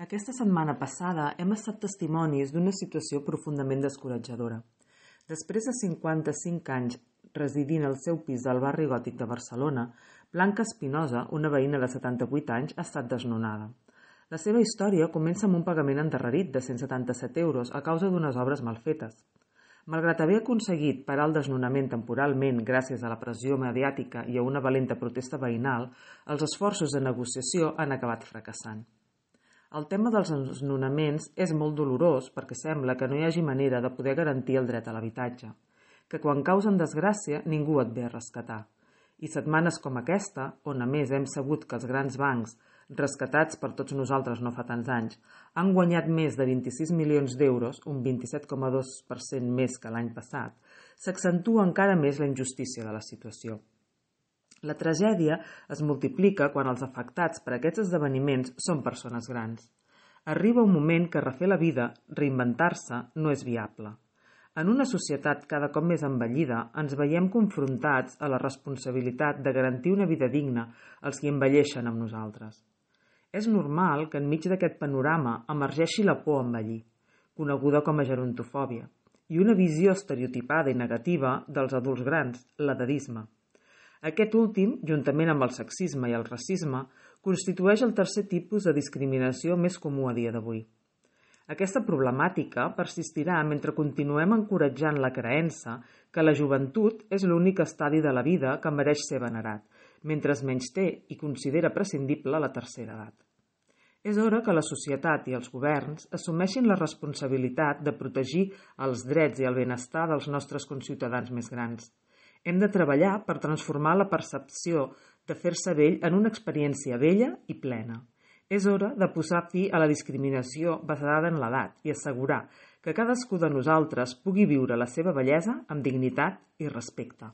Aquesta setmana passada hem estat testimonis d'una situació profundament descoratjadora. Després de 55 anys residint al seu pis del barri gòtic de Barcelona, Blanca Espinosa, una veïna de 78 anys, ha estat desnonada. La seva història comença amb un pagament endarrerit de 177 euros a causa d'unes obres mal fetes. Malgrat haver aconseguit parar el desnonament temporalment gràcies a la pressió mediàtica i a una valenta protesta veïnal, els esforços de negociació han acabat fracassant. El tema dels desnonaments és molt dolorós perquè sembla que no hi hagi manera de poder garantir el dret a l'habitatge, que quan causen desgràcia ningú et ve a rescatar. I setmanes com aquesta, on a més hem sabut que els grans bancs, rescatats per tots nosaltres no fa tants anys, han guanyat més de 26 milions d'euros, un 27,2% més que l'any passat, s'accentua encara més la injustícia de la situació. La tragèdia es multiplica quan els afectats per aquests esdeveniments són persones grans. Arriba un moment que refer la vida, reinventar-se, no és viable. En una societat cada cop més envellida, ens veiem confrontats a la responsabilitat de garantir una vida digna als qui envelleixen amb nosaltres. És normal que enmig d'aquest panorama emergeixi la por a envellir, coneguda com a gerontofòbia, i una visió estereotipada i negativa dels adults grans, l'edadisme. Aquest últim, juntament amb el sexisme i el racisme, constitueix el tercer tipus de discriminació més comú a dia d'avui. Aquesta problemàtica persistirà mentre continuem encoratjant la creença que la joventut és l'únic estadi de la vida que mereix ser venerat, mentre es menysté i considera prescindible la tercera edat. És hora que la societat i els governs assumeixin la responsabilitat de protegir els drets i el benestar dels nostres conciutadans més grans. Hem de treballar per transformar la percepció de fer-se vell en una experiència bella i plena. És hora de posar fi a la discriminació basada en l'edat i assegurar que cadascú de nosaltres pugui viure la seva bellesa amb dignitat i respecte.